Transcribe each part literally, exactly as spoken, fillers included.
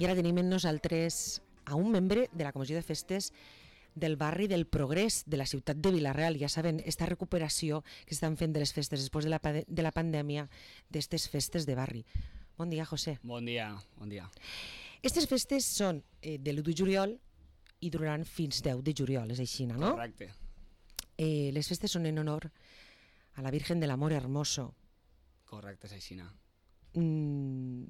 I ara tenim amb nosaltres a un membre de la Comissió de Festes del barri del Progrés de la ciutat de Vila-real. Ja saben, esta recuperació que estan fent de les festes després de la, de la pandèmia, d'estes festes de barri. Bon dia, José. Bon dia, bon dia. Estes festes són eh, de l'u de juliol i duraran fins deu de juliol, és així, no? Correcte. Eh, les festes són en honor a la Virgen del Amor Hermoso. Correcte, és així. Mm,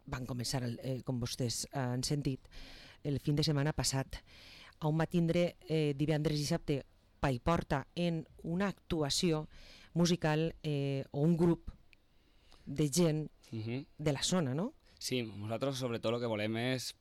van començar, el, eh, com vostès han sentit, el fin de setmana passat. On va tindre eh, divendres i dissabte Paiporta en una actuació musical eh, o un grup de gent uh-huh. de la zona, no? Sí, nosaltres sobretot el que volem és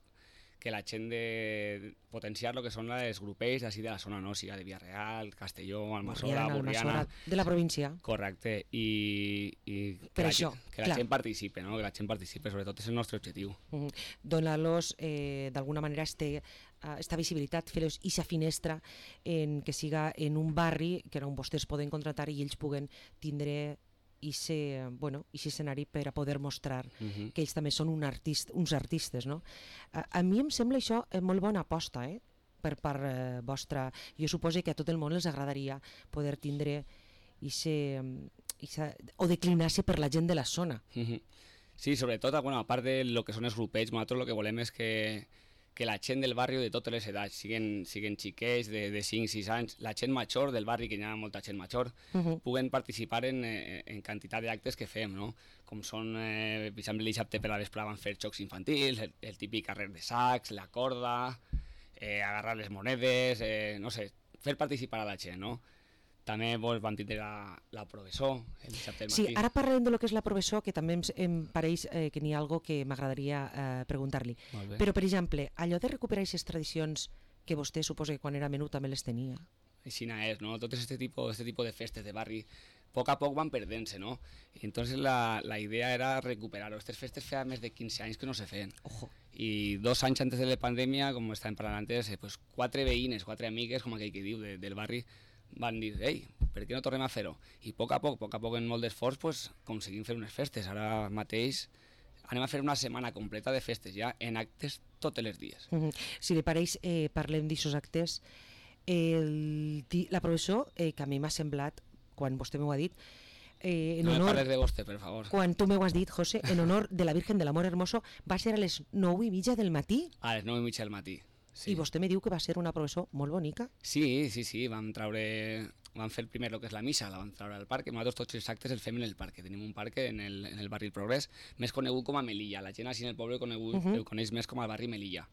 que la gent de potenciar el que són els grupells d'ací de la zona, no? Siga de Vila-real, Castelló, Almassora, Borriana... De la província. Correcte, i, i que, per la, això, que la gent participe, no? Que la gent participe, sobretot és el nostre objectiu. Uh-huh. Donar-los, eh, d'alguna manera, este, uh, esta visibilitat, fer-los ixa finestra en que siga en un barri que on vostès poden contratar i ells puguen tindre Ixe, bueno, ixe escenari per a poder mostrar uh-huh. que ells també són un artist, uns artistes, no? A, a mi em sembla això molt bona aposta, eh? Per part eh, vostra. Jo suposo que a tot el món els agradaria poder tindre ixe, ixa, o declinar-se per la gent de la zona. Uh-huh. Sí, sobretot, bueno, a part de lo que són els grupells, nosaltres el que volem és que que la gent del barri de totes les edats, siguen, siguen xiquets de, de cinc sis anys, la gent major del barri, que hi ha molta gent major, uh-huh. puguen participar en, en quantitat d'actes que fem, no? Com són, eh, per exemple, el dissabte per la vesprà van fer jocs infantils, el, el típic carrer de sacs, la corda, eh, agarrar les monedes, eh, no sé, fer participar a la gent, no? També pues, van tindre la, la professor el dissabte del matí. Sí, ara parlem de lo que és la professor, que també em, em pareix eh, que n'hi ha algo que m'agradaria eh, preguntar-li. Però, per exemple, allò de recuperar aquestes tradicions que vostè suposa que quan era menut també les tenia. Així és, no? Tot este tipo, este tipo de festes de barri, a poc a poc van perdent-se, no? I entonces la, la idea era recuperar-ho. Aquestes festes feia més de quinze anys que no se feien. Ojo. I dos anys antes de la pandèmia, com estàvem parlant antes, eh, pues, quatre veïnes, quatre amigues, com aquell que diu, de, del barri, van dir, ei, per què no tornem a fer-ho? I a poc a poc, a poc a poc, en molt d'esforç, pues, aconseguim fer unes festes. Ara mateix anem a fer una setmana completa de festes ja, en actes tots els dies. Mm-hmm. Si li pareix, eh, parlem d'aixòs actes. El, la professor, eh, que a mi m'ha semblat, quan vostè m'ho ha dit, eh, en no honor, me parles de vostè, per favor. Quan tu m'ho has dit, José, en honor de la Virgen del Amor Hermoso, va ser a les nou i mitja del matí? A les nou i mitja del matí. Sí. I vostè me diu que va ser una professor molt bonica? Sí, sí, sí, vam traure, vam fer primer el que és la missa, la vam traure al parc, i nosaltres tots els actes els fem en el parc, tenim un parc en el, en el barri del Progrés, més conegut com a Melilla, la gent així en el poble conegut, uh-huh. el coneix més com al barri Melilla,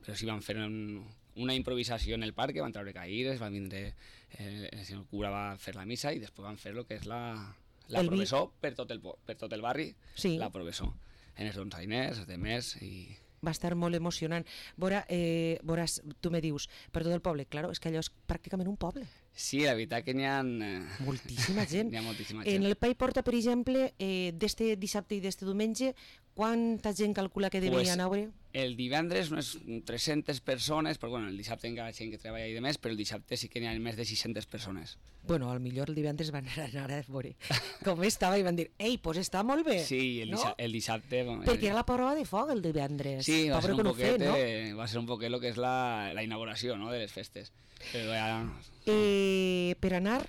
però sí vam fer un, una improvisació en el parc, van traure caïres, va vindre, eh, el senyor cura va fer la missa i després van fer el que és la, la el professor vi... per, tot el, per tot el barri, sí. La professor, en els donzainers, els demés i... Va estar molt emocionant. Vora, eh, veuràs, tu me dius, per tot el poble, claro, és que allò és pràcticament un poble. Sí, la veritat que n'hi ha... Eh... Moltíssima gent. N'hi ha moltíssima gent. En el Paiporta, per exemple, eh, d'este dissabte i d'este diumenge, quanta gent calcula que deveria pues, anar? El divendres unes tres-centes persones, però bueno, el dissabte encara gent que treballa i demés, però el dissabte sí que n'hi ha més de sis-centes persones. Bueno, al millor el divendres van anar a veure com estava i van dir, ei, pues està molt bé. Sí, el, dissabte, no? el dissabte... Perquè era la prova de foc el divendres. Sí, va ser, un poquet, fer, no? eh, va ser un poquet el que és la, la inauguració, no?, de les festes. Però ja... eh, per anar...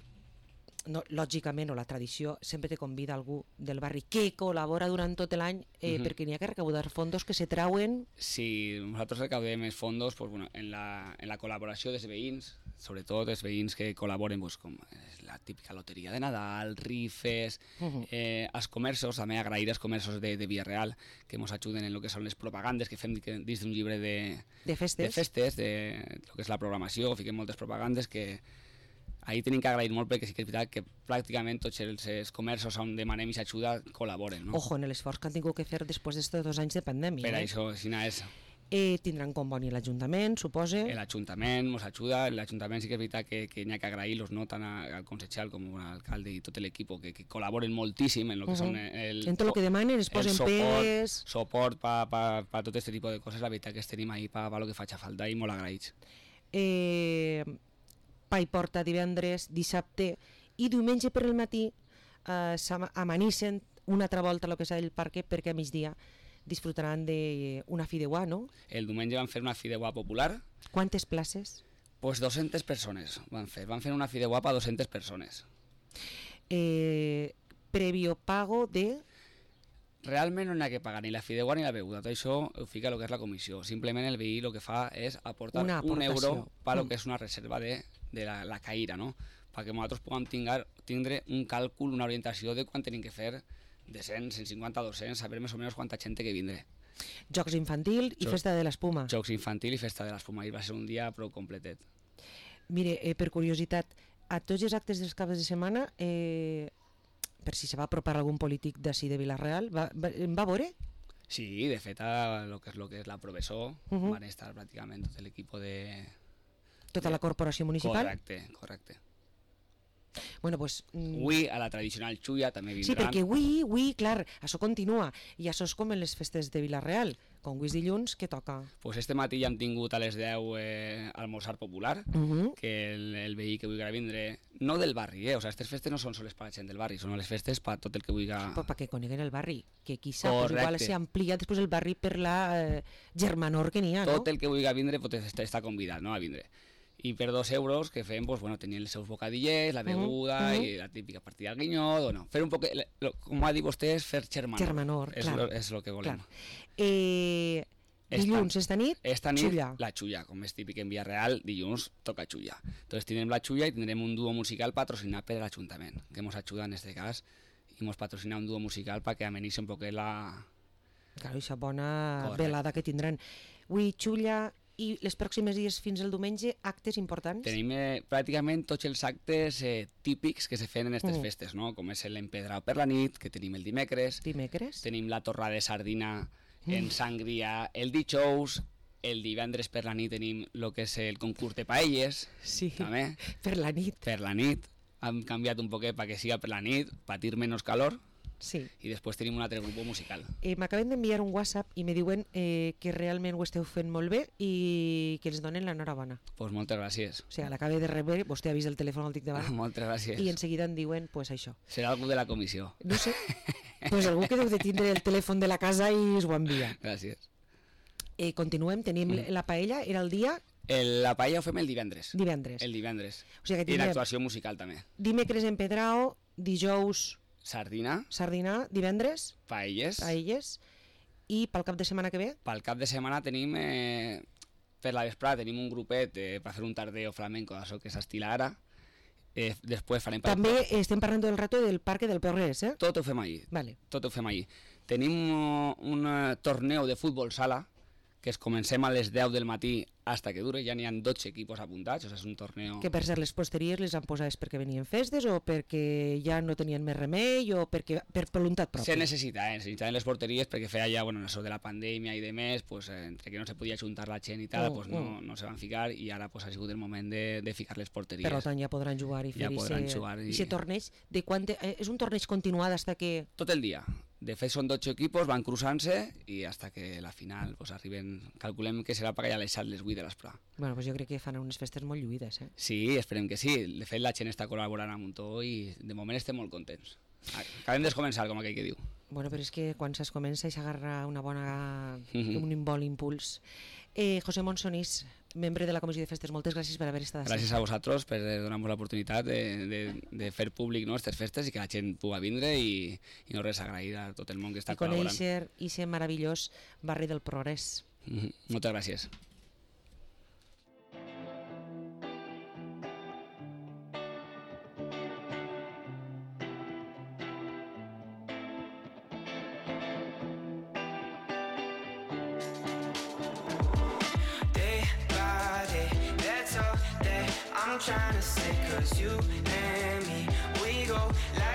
No, lògicament, o la tradició sempre te convida algú del barri que col·labora durant tot l'any eh, uh-huh. perquè n'hi ha que recaudar fondos que se trauen. Sí, nosaltres recaudem els fondos pues, bueno, en, la, en la col·laboració dels veïns, sobretot els veïns que col·laboren pues, com la típica loteria de Nadal, rifes, uh-huh. eh, als comerços, també agrair als comerços de, de Vila-real que ens ajuden en el que són les propagandes que fem dins d'un llibre de, de festes, de, festes, de lo que és la programació, fiquem moltes propagandes que ahí tenim que agrair molt perquè sí que és veritat que pràcticament tots els, els comerços on demanem aquesta ajuda col·laboren. No? Ojo, en l'esforç que han tingut que fer després d'estos dos anys de pandèmia. Per eh? això, si no és... Eh, tindran conveni l'Ajuntament, supose? L'Ajuntament ens ajuda, l'Ajuntament sí que és veritat que, que n'hi ha que agrair-los, no tant al consejal com a l'alcalde i tot l'equip que, que col·laboren moltíssim en el que uh-huh. són el... En tot el que demanen, es posen pegues... Suport per pa, pa tot aquest tipus de coses, la veritat que es tenim ahí per pa lo que faci falta i molt agraïts. Eh... Paiporta divendres, dissabte i diumenge per el matí eh, s'amanissen una altra volta a lo que és el parc perquè a migdia disfrutaran d'una fideuà, no? El diumenge van fer una fideuà popular. Quantes places? Pues doscientas persones van fer. Van fer una fideuà per doscientas persones. Eh, previo pago de... Realment no n'hi ha que pagar ni la fideuà ni la beguda. Tot això ho fica el que és la comissió. Simplement el veí el que fa és aportar un euro per lo que és una reserva de, de la, la caïra, no? Perquè nosaltres puguem tingar, tindre un càlcul, una orientació de quan tenim que fer de cent, cent cinquanta, dos-cents, saber més o menys quanta gent té que vindre. Jocs infantil i Jocs, festa de l'espuma. Jocs infantil i festa de l'espuma. I va ser un dia prou completet. Mire, eh, per curiositat, a tots els actes dels caps de setmana, eh, per si se va apropar algun polític d'ací de Vila-real, va, va, em va veure? Sí, de fet, a lo que és, lo que és la professor, uh -huh. van estar pràcticament tot l'equip de... Tota de... la corporació municipal? Correcte, correcte. Bueno, pues... Mm... Avui, a la tradicional xulla, també vindran... Sí, perquè avui, avui, clar, això continua, i això és com en les festes de Vila-real, com avui és dilluns, què toca? Pues este matí ja hem tingut a les deu eh, almorzar popular, uh -huh. que el, el veí que vulgui vindre, no del barri, eh? O sea, aquestes festes no són soles per la gent del barri, són les festes per tot el que vulgui... Però perquè coneguen el barri, que qui sap, pues igual s'amplia després el barri per la eh, germanor que n'hi ha, no? Tot el que vulgui vindre pot estar, està convidat, no?, a vindre. I per dos euros que fem, pues, bueno, tenien els seus bocadillers, la beguda uh -huh. i la típica partida al guinyot, o no. Fer un poc, com ha dit vostè, és fer germanor. Germanor, és clar. Lo, és el que volem. Clar. Eh, dilluns, esta nit, esta nit xulla. La xulla, com és típic en Vila-real, dilluns toca xulla. Entonces tindrem la xulla i tindrem un duo musical patrocinat per l'Ajuntament, que ens ajuda en este cas, i ens patrocina un duo musical perquè amenitzi un poquet la... Claro, aquesta bona Correcte. velada que tindran. Avui, xulla... I les pròximes dies fins al diumenge, actes importants? Tenim eh, pràcticament tots els actes eh, típics que se fan en aquestes mm. festes, no? Com és l'empedrau per la nit, que tenim el dimecres. Dimecres? Tenim la torrada de sardina mm. en sangria el dijous. El divendres per la nit tenim el que és el concurs de paelles. Sí, també. Per la nit. Per la nit. Hem canviat un poquet perquè siga per la nit, patir menys calor. Sí. I després tenim un altre grup musical. Eh, M'acaben d'enviar un WhatsApp i me diuen eh, que realment ho esteu fent molt bé i que ens donen l'enhorabona. Doncs pues moltes gràcies. O sigui, l'acabe de rebre, vostè ha vist el telèfon al tic davant. Moltes gràcies. I en seguida em diuen, pues això. Serà algú de la comissió. No sé, pues algú que deu de tindre el telèfon de la casa i es ho envia. Gràcies. Eh, continuem, tenim mm. la paella, era el dia... El, la paella ho fem el divendres. Divendres. El divendres. O sigui que tindrem... I l'actuació tindrem... musical també. Dimecres en Pedrao, dijous... Sardina. Sardina, divendres. Paelles. Paelles. I pel cap de setmana que ve? Pel cap de setmana tenim, eh, per la vesprada tenim un grupet eh, per fer un tardeo flamenco, això que s'estila ara. Eh, després farem... També per... estem parlant del rato del Parque del Progrés, eh? Tot ho fem allí. Vale. Tot ho fem allí. Tenim un, un torneo de futbol sala, que es comencem a les deu del matí hasta que dure, ja n'hi ha dotze equipos apuntats, o sigui, és un torneo... Que per ser les posteries les han posat perquè venien festes o perquè ja no tenien més remei o perquè per voluntat pròpia? Se necessita, eh? necessitaven les porteries perquè feia ja, bueno, això de la pandèmia i de més, pues, eh, entre que no se podia juntar la gent i tal, oh, pues, no, oh. no se van ficar i ara pues, ha sigut el moment de, de ficar les porteries. Per tant ja podran jugar i fer ja podran jugar i... i se torneig de quant... Eh, és un torneig continuat hasta que... Tot el dia. De fet són dotze equipos, van cruzant-se i hasta que la final pues, arriben, calculem que serà per allà a les set, les vuit de l'esprà. Bueno, pues jo crec que fan unes festes molt lluïdes, eh? Sí, esperem que sí. De fet la gent està col·laborant amb un to i de moment estem molt contents. Acabem de començar, com aquell que diu. Bueno, però és que quan s'es comença i s'agarra una bona... Mm-hmm. un bon impuls. Eh, José Monsonís, membre de la Comissió de Festes, moltes gràcies per haver estat així. Gràcies a vosaltres per donar-nos l'oportunitat de, de, de fer públic no, aquestes festes i que la gent pugui vindre i, i no res, agrair a tot el món que està I col·laborant. I conèixer aquest meravellós barri del Progrés. Mm-hmm. Moltes gràcies. I'm trying to say, cause you and me, we go like